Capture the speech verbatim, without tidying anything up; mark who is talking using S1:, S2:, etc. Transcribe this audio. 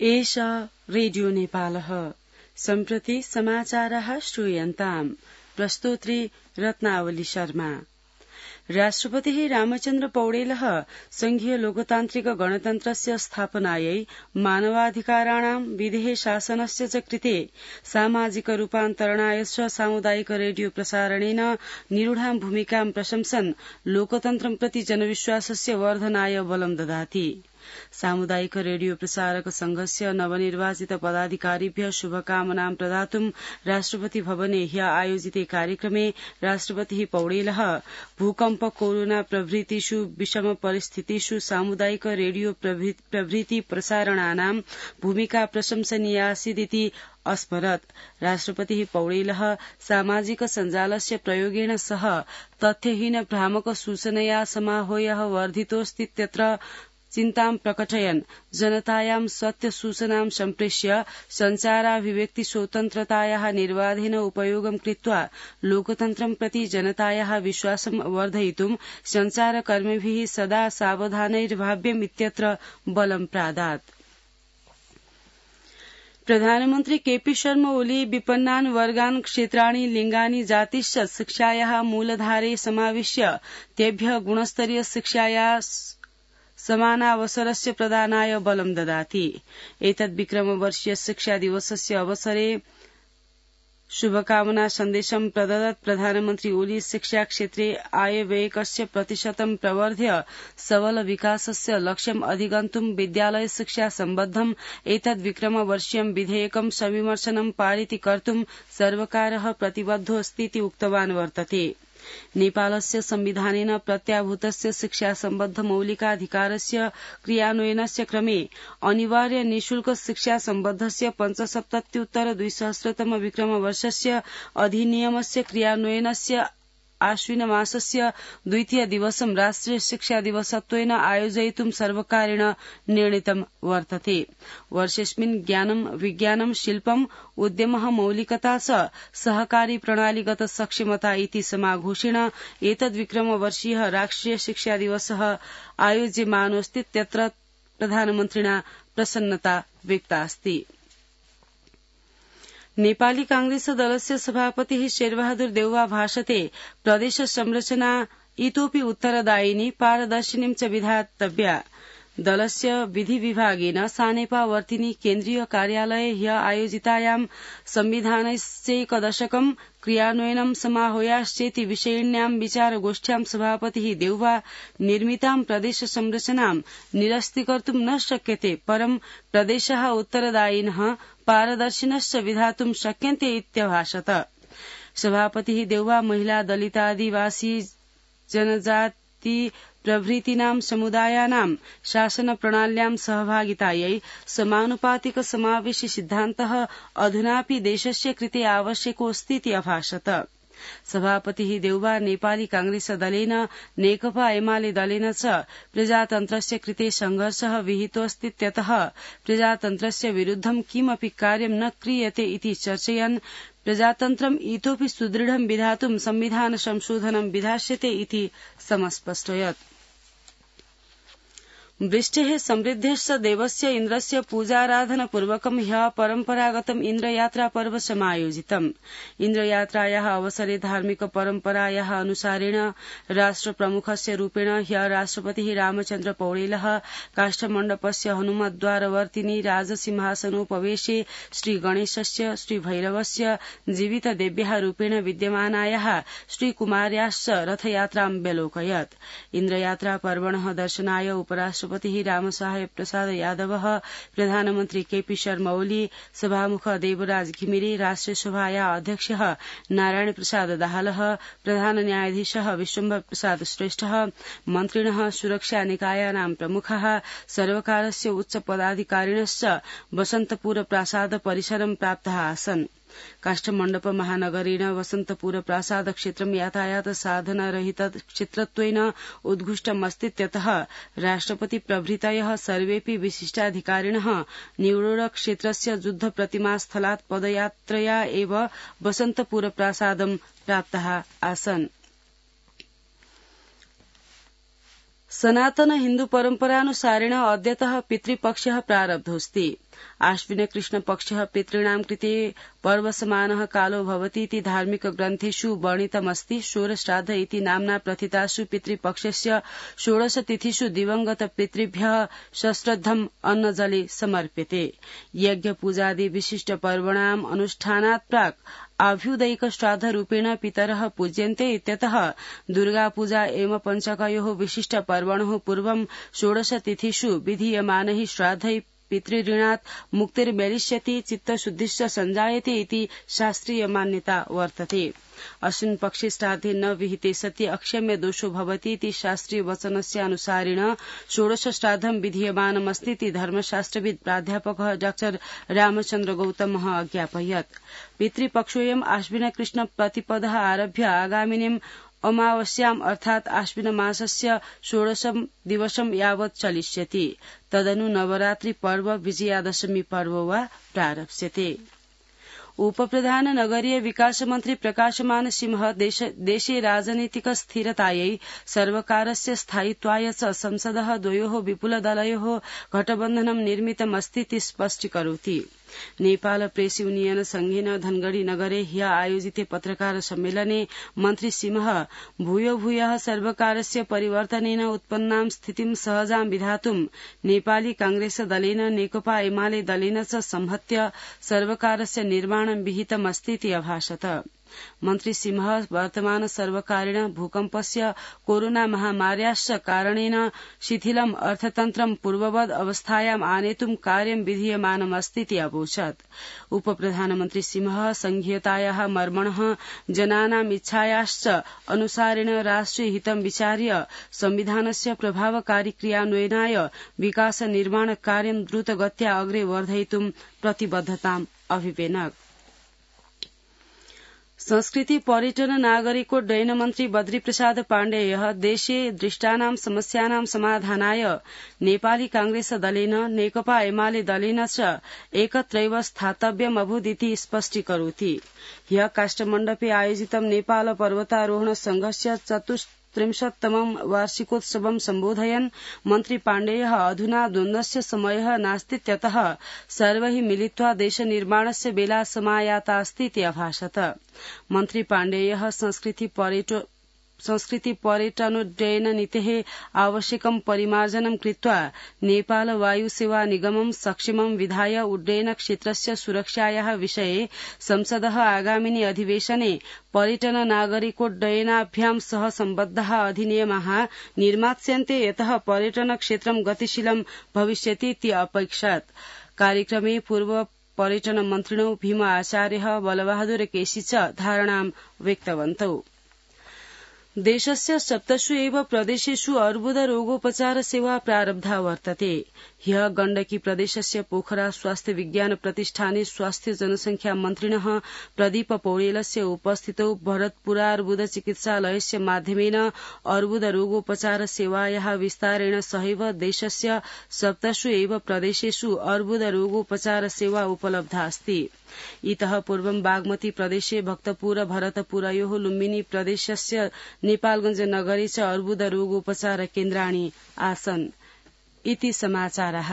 S1: एष रेडियो नेपालः सम्प्रति समाचारः श्रूयन्ताम् प्रस्तोत्री रत्नावली शर्मा। राष्ट्रपतिः रामचन्द्र पौडेलः संघीय लोकतान्त्रिक गणतन्त्रस्य स्थापनायै मानवाधिकाराणां विधेः शासनस्य च कृते सामाजिक रूपान्तरणाय च सामुदायिक रेडियो प्रसारणेन निरूढां भूमिकां प्रशंसन् लोकतन्त्रं प्रति जनविश्वासस्य वर्धनाय बलं ददाति। सामुदायिक रेडियो प्रसारक संघस्य नवनिर्वाचित पदाधिकारिभ्यः शुभकामनां प्रदातुं राष्ट्रपति भवने ह्य आयोजिते कार्यक्रमे राष्ट्रपतिः पौडेलः भूकम्प कोरोना प्रभृतिषु विषम परिस्थितिषु सामुदायिक रेडियो प्रभृति प्रसारणानां भूमिका प्रशंसनीयासीदिति अस्मरत्। राष्ट्रपतिः पौडेलः सामाजिक सञ्जालस्य प्रयोगेण सह तथ्यहीन भ्रामक सूचनया समाहोयः वर्धितोऽस्तीत्यत्र चिन्तां प्रकटयन् जनतायां सत्य सूचनां सम्प्रेष्य सञ्चाराभिव्यक्ति स्वतन्त्रतायाः निर्बाधेन उपयोगं कृत्वा लोकतन्त्रं प्रति जनतायाः विश्वासं वर्धयितुं सञ्चारकर्मिभिः सदा सावधानैर्भाव्यम् इत्यत्र बलं प्रादात्। प्रधानमन्त्री केपी शर्मा ओली विपन्नान् वर्गान् क्षेत्राणि लिङ्गानि जातिश्च शिक्षायाः मूलधारे समाविश्य तेभ्यः गुणस्तरीय शिक्षाया समानावसरस्य प्रदानाय बलं ददाति। एतद् विक्रमवर्षीय शिक्षा दिवसस्य अवसरे शुभकामना सन्देशं प्रददत्। प्रधानमन्त्री ओली शिक्षा क्षेत्रे आयव्ययकस्य प्रतिशतं प्रवर्ध्य सबल विकासस्य लक्ष्यम् अधिगन्तुं विद्यालय शिक्षा सम्बद्धम् एतद् विक्रमवर्षीयं विधेयकं सविमर्शनं पारित कर्तुं सर्वकारः प्रतिबद्धोऽस्तीति उक्तवान् वर्तते। नेपालस्य संविधानेन प्रत्याभूतस्य शिक्षा सम्बद्ध मौलिकाधिकारस्य क्रियान्वयनस्य क्रमे अनिवार्य निःशुल्क शिक्षा सम्बद्धस्य पञ्चसप्तत्युत्तर द्विसहस्रतम विक्रमवर्षस्य अधिनियमस्य क्रियान्वयनस्य आश्विन मासस्य द्वितीय दिवसं राष्ट्रिय शिक्षा दिवसत्वेन आयोजयितुं सर्वकारेण निर्णीतं वर्तते। वर्षेऽस्मिन् ज्ञानं विज्ञानं शिल्पम् उद्यमः मौलिकता च सहकारी प्रणालीगत सक्षमता इति समाघोषेण एतद् विक्रमवर्षीयः राष्ट्रिय शिक्षा दिवसः आयोज्यमानोऽस्तीत्यत्र प्रधानमन्त्रिणा प्रसन्नता व्यक्तास्ति। नेपाली कांग्रेस दलस्य सभापतिः शेरबहादुर देउवा भाषते प्रदेश संरचना इतोपि उत्तरदायिनी पारदर्शिनीं च विधातव्या। दलस्य विधि विभागेन सानेपावर्तिनी केन्द्रीय कार्यालये ह्य आयोजितायां संविधानस्यैकदशकं क्रियान्वयनं समाहूयाश्चेति विषयिण्यां विचारगोष्ठ्यां सभापतिः देउवा निर्मितां प्रदेश संरचनां निरस्तीकर्तुं न शक्यते, परं प्रदेशः उत्तरदायिनः पारदर्शिनश्च विधातुं शक्यन्ते इत्यभाषत। सभापतिः देउवा महिला दलितादिवासी जनजाति प्रभृतीनां समुदायानां शासन प्रणाल्यां सहभागितायै समानुपातिक समावेशि सिद्धान्तः अधुनापि देशस्य कृते आवश्यकोऽस्तीति अभाषत। सभापतिः देउवा नेपाली कांग्रेस दलेन नेकपा एमाले दलेन च प्रजातन्त्रस्य कृते संघर्षः विहितोऽस्तीत्यतः प्रजातन्त्रस्य विरुद्धं किमपि कार्यं न क्रियते इति चर्चयन् प्रजातन्त्रम् इतोपि सुदृढं विधातुं संविधान संशोधनं विधास्यते इति समस्पष्टयत्। वृष्टेः समृद्धेश्च देवस्य इन्द्रस्य पूजाराधनपूर्वकं ह्यः परम्परागतम् इन्द्रयात्रा पर्व समायोजितम्। इन्द्रयात्रायाः अवसरे धार्मिक परम्परायाः अनुसारेण राष्ट्रप्रमुखस्य रूपेण ह्यः राष्ट्रपतिः रामचन्द्र पौडेलः काष्ठमण्डपस्य हनुमद्वारवर्तिनि राजसिंहासनोपवेशे श्रीगणेशस्य श्रीभैरवस्य जीवितदेव्याः रूपेण विद्यमानायाः श्रीकुमार्याश्च रथयात्रां व्यलोकयत्। इन्द्रयात्रा पर्वणः दर्शनाय उपराष्ट्र राष्ट्रपतिः रामसाहेब प्रसाद यादवः, प्रधानमन्त्री केपी शर्मा ओली, सभामुख देवराज घिमिरे, राष्ट्रिय सभाया अध्यक्षः नारायण प्रसाद दाहालः, प्रधान न्यायाधीशः विश्वम्भर प्रसाद श्रेष्ठः, मन्त्रिणः, सुरक्षा निकायानां प्रमुखः, सर्वकारस्य उच्च पदाधिकारिणश्च वसन्तपुर प्रासाद परिसरं प्राप्ताः आसन्। काष्ठमण्डप महानगरेण वसन्तपुर प्रासाद क्षेत्रं यातायात साधनरहित क्षेत्रत्वेन उद्घुष्टमस्तीत्यतः राष्ट्रपति प्रभृतयः सर्वेऽपि विशिष्टाधिकारिणः निवडोर क्षेत्रस्य युद्ध प्रतिमास्थलात् पदयात्रया एव वसन्तपुर प्रासादं प्राप्ताः आसन्। सनातन हिन्दू परम्परानुसारेण अद्यतः पितृपक्षः प्रारब्धोऽस्ति। आश्विन कृष्ण पक्षः पितॄणां कृते पर्वसमानः कालो भवतीति धार्मिक ग्रन्थेषु वर्णितमस्ति। षोडश्राद्ध इति नाम्ना प्रथितासु पितृपक्षस्य षोडश तिथिषु दिवंगत पितृभ्यः सश्रद्धम् अन्नजले समर्प्यते। यज्ञ पूजादि विशिष्ट पर्वणाम् अनुष्ठानात् प्राक् आभ्युदयिक श्राद्ध रूपेण पितरः पूज्यन्ते इत्यतः दुर्गा पूजा एवं पंचकयोः विशिष्ट पर्वणः पूर्वं षोडश तिथिषु विधीयमानैः श्राद्धैः पितृऋणात् मुक्तिर्मेलिष्यति, चित्तशुद्धिश्च सञ्जायते इति शास्त्रीय मान्यता वर्तते। अस्मिन् पक्षे श्राद्धे न विहिते सति अक्षम्य दोषो भवति इति शास्त्रीय वचनस्य अनुसारेण षोडश श्राद्धं विधीयमानमस्तीति धर्मशास्त्रविद् प्राध्यापकः डाक्टर रामचन्द्र गौतमः अज्ञापयत्। पितृपक्षोऽयम् आश्विन कृष्ण प्रतिपदः आरभ्य आगामिनीम् अमावास्याम् अर्थात् आश्विन मासस्य षोडशं दिवसं यावत् चलिष्यति। तदनु नवरात्रि पर्व विजयादशमी पर्व वा प्रारप्स्यते। उपप्रधान नगरीय विकास मन्त्री प्रकाशमान सिंह देशे राजनीतिक स्थिरतायै सर्वकारस्य स्थायित्वाय च संसदः द्वयोः विपुलदलयोः गठबन्धनं निर्मितमस्तीति स्पष्टीकरोति। नेपाल प्रेस यूनियन संघेन धनगढ़ी नगरे ह्य आयोजिते पत्रकार सम्मेलने मन्त्री सिंह भूयो भूयः सर्वकारस्य परिवर्तनेन उत्पन्नां स्थितिं सहजां विधातुं नेपाली कांग्रेस दलेन नेकपा एमाले दलेन च संहत्य सर्वकारस्य निर्माणं विहितमस्तीति अभाषत। मन्त्री सिंह वर्तमान सर्वकारेण भूकम्पस्य कोरोना महामार्याश्च कारणेन शिथिलम् अर्थतन्त्रं पूर्ववद् अवस्थायाम् आनेतुं कार्यं विधीयमानमस्तीति अवोचत्। उपप्रधानमन्त्री सिंह संघीयतायाः मर्मणः जनानाम् इच्छायाश्च अनुसारेण राष्ट्रिय हितं विचार्य संविधानस्य प्रभावकारी क्रियान्वयनाय विकास निर्माण कार्यं द्रुतगत्या अग्रे वर्धयितुं प्रतिबद्धताम् अभिवेनक। संस्कृति पर्यटन नागरिकोड्डयन मन्त्री बद्री प्रसाद पाण्डेयः देशे दृष्टानां समस्यानां समाधानाय नेपाली कांग्रेस दलेन नेकपा एमाले दलेन च एकत्रैव स्थातव्यमभूदिति स्पष्टीकरोति। ह्यः काष्ठमण्डपे आयोजितं नेपाल पर्वतारोहण संघस्य चतुस्त्रिंशत्तमं वार्षिकोत्सवं सम्बोधयन् मन्त्री पाण्डेयः अधुना द्वन्द्वस्य समयः नास्तीत्यतः सर्वैः मिलित्वा देशनिर्माणस्य बेला समायातास्तीति अभाषत। मन्त्री पाण्डेयः संस्कृति पर्यटन संस्कृति पर्यटनोड्डयन नीतेः आवश्यकं परिमार्जनं कृत्वा नेपाल वायु सेवा निगमं सक्षमं विधाय उड्डयन क्षेत्रस्य सुरक्षायाः विषये संसदः आगामिनि अधिवेशने पर्यटन नागरिकोड्डयनाभ्यां सह सम्बद्धाः अधिनियमाः निर्मास्यन्ते यतः पर्यटन क्षेत्रं गतिशीलं भविष्यति इति अपैक्षत। कार्यक्रमे पूर्व पर्यटन मन्त्रिणो भीम आचार्यः बलबहादुर केसी च धारणां व्यक्तवन्तौ। देशस्य सप्तसु एव प्रदेशेषु अर्बुद रोगोपचार सेवा प्रारब्धा वर्तते। ह्यः गण्डकी प्रदेशस्य पोखरा स्वास्थ्य विज्ञान प्रतिष्ठाने स्वास्थ्य जनसंख्या मन्त्रिणः प्रदीप पौडेलस्य उपस्थितौ भरतपुरार्बुद चिकित्सालयस्य माध्यमेन अर्बुद रोगोपचार सेवायाः विस्तारेण सहैव देशस्य सप्तसु एव प्रदेशेषु अर्बुद रोगोपचार सेवा उपलब्धा अस्ति। इतः पूर्वं बागमती प्रदेशे भक्तपुर भरतपुरयोः लुम्बिनी प्रदेशस्य नेपालगंज नगरे च अर्बुद रोगोपचार केन्द्राणि आसन् इति समाचारः।